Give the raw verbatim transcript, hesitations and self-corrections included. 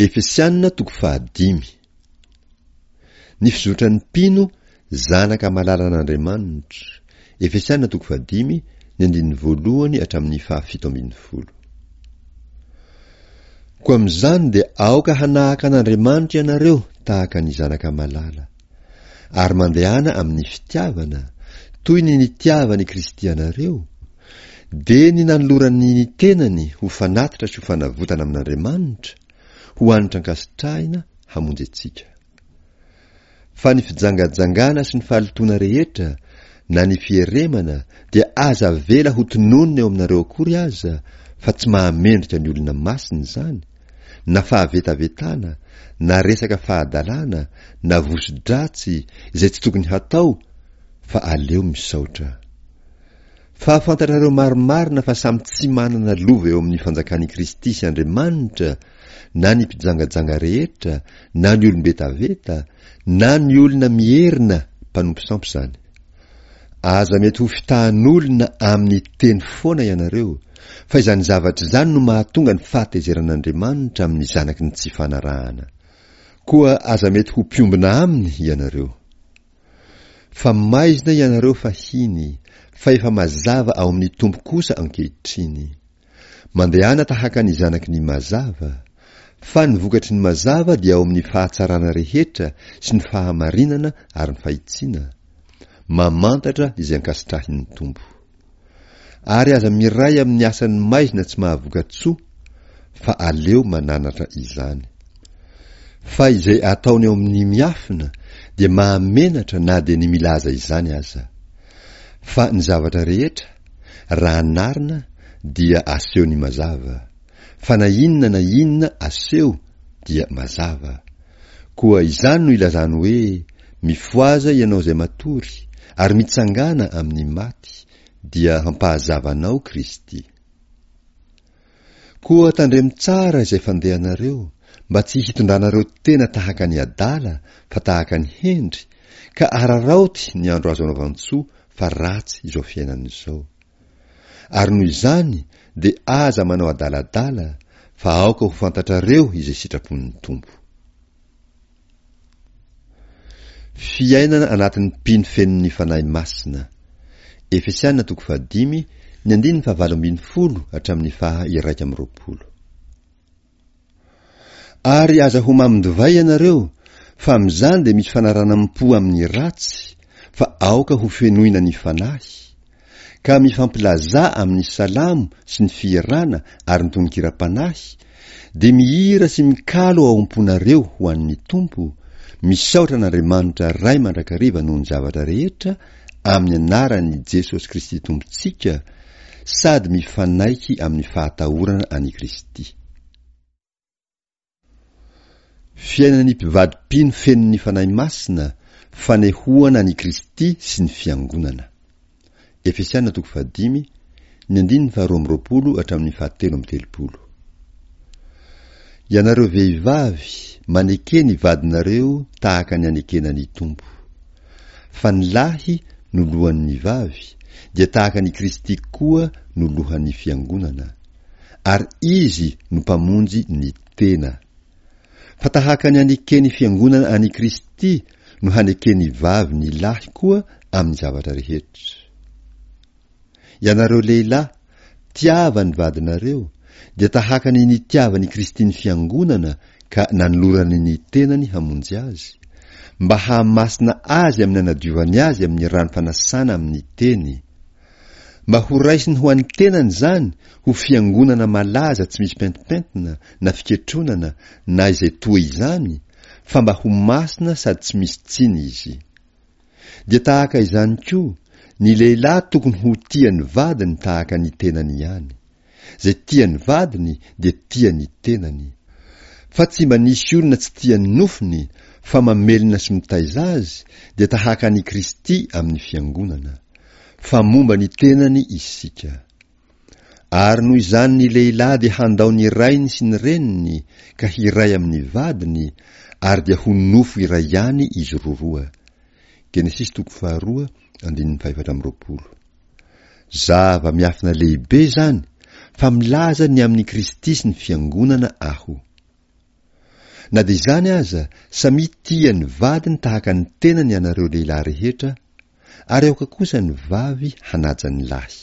Efesianina toko fahadimy. Ny fizotran'ny mpino zanaka malalan'Andriamanitra. Efesianina toko fahadimy, ny andininy voalohany hatramin'ny fahafito ambin'ny folo. Koa amin'izany dia aoka hanahaka an'Andriamanitra ianareo tahaka ny zanaka malala. Ary mandehana amin'ny fitiavana, toy ny nitiavan'i Kristy anareo, dia ny nanolorany ny tenany ho fanatitra sy ho fanavotana amin'Andriamanitra, ho hanitra ankasitrahina hamonjy antsika. Fa ny fijangajangana sy ny fahalotoana rehetra, na ny fieremana, dia aza avela ho tononina eo aminareo akory aza, fa tsy mahamendrika ny olona masina izany, na fahavetavetana, na resaka fahadalana, na voso-dratsy, izay tsy tokony hatao, fa aleo misaotra. Fa fantatrareo marimarina fa samy tsy manana lova eo amin'ny fanjakan'i Kristy sy Andriamanitra na ny mpijangajanga rehetra, na ny olom-betaveta, na ny olona mierina mpanompo sampy izany. Aza mety ho fitahan'olona amin'ny teny foana ianareo, fa izany zavatra izany no mahatonga ny fahatezeran'Andriamanitra amin'ny zanaky ny tsy fanarahana. Koa aza mety ho mpiombona aminy ianareo. Fa maizina ianareo fahiny, fa efa mazava ao amin'ny Tompo kosa ankehitriny. Mandehana tahaka ny zanaky ny mazava, fa ny vokatry ny mazava dia ao amin'ny fahatsarana rehetra sy ny fahamarinana ary ny fahitsiana, mamantatra izay ankasitrahin'ny Tompo. Ary aza miray amin'ny asan'ny maizina tsy mahavoka-tsoa, fa aleo mananatra izany. Fa izay ataony ao amin'ny miafina dia mahamenatra na dia ny milaza izany aza. Fa ny zavatra rehetra, raha anarina, dia aseho ny mazava. Fa na inona na inona aseho dia mazava. Koa izany no ilazany hoe, Mifohaza ianao izay matory, ary mitsangàna amin'ny maty, dia hampahazava anao Kristy. Koa tandremo tsara izay fandehanareo, mba tsy hitondranareo tena tahaka ny adala fa tahaka ny hendry, ka araraoty ny andro azo anaovan-tsoa fa ratsy izao fiainana izao. Ary noho izany dia aza manao adaladala, fa aoka ho fantatrareo izay sitrapon'ny Tompo. Fiainana anatin'ny mpino fenon'ny Fanahy Masina. Efesiana toko fahadimy, ny andininy fahavalo ambin'ny folo hatramin'ny faha iraika amby roapolo. Ary aza ho mamon-divay ianareo, fa amin'izany dia misy fanaranam-po amin'ny ratsy, fa aoka ho fenoina ny Fanahy, ka mifampilazà amin'ny salamo sy ny fihirana ary ny tononkiram-panahy, dia mihira sy mikalo ao am-ponareo ho an'ny Tompo, misaotra an'Andriamanitra Ray mandrakariva noho ny zavatra rehetra, amin'ny anaran'i Jesosy Kristy Tompontsika, sady mifanaiky amin'ny fahatahorana an'i Kristy. Fiainan'ny mpivady mpino feno ny Fanahy Masina, fanehoana an'i Kristy sy ny Fiangonana. Efesiana toko fahadimy, ny andininy faharoa amby roapolo hatramin'ny fahatelo amby telopolo. Ianareo vehivavy, maneke ny vadinareo tahaka ny anekena ny Tompo. Fa ny lahy no lohan'ny vavy, dia tahaka an'i Kristy koa no lohan'ny Fiangonana. Ary Izy no Mpamonjy ny tena. Fa tahaka ny aneken'ny Fiangonana an'i Kristy no haneken'ny vavy ny lahy koa amin'ny zavatra rehetra. Ianareo lehilahy, tiava ny vadinareo, dia tahaka ny nitiavan'i Kristy ny Fiangonana ka nanolorany ny tenany hamonjy azy, mba hahamasina azy amin'ny anadiovany azy amin'ny rano fanasana amin'ny teny, mba ho raisiny ho an'ny tenany izany ho fiangonana malaza tsy misy pentimpentina na fiketronana na izay toa izany, fa mba ho masina sady tsy misy tsiny izy. Dia tahaka izany koa, ny lehilahy tokony ho tia ny vadiny tahaka ny tenany ihany. Izay tia ny vadiny dia tia ny tenany. Fa tsy mba nisy olona tsy tia ny nofony, fa mamelona sy mitaiza azy, dia tahaka an'i Kristy amin'ny Fiangonana. Fa momba ny tenany isika. Ary noho izany ny lehilahy dia handao ny rainy sy ny reniny ka hiray amin'ny vadiny, ary dia ho nofo iray ihany izy roroa. Genesisy toko faharoa, andininy fahefatra amby roapolo. Zava-miafina lehibe izany, fa milaza ny amin'i Kristy sy ny Fiangonana aho. Na dia izany aza, samia tia ny vadiny tahaka ny tenany ianareo lehilahy rehetra, ary aoka kosa ny vavy hanaja ny lahy.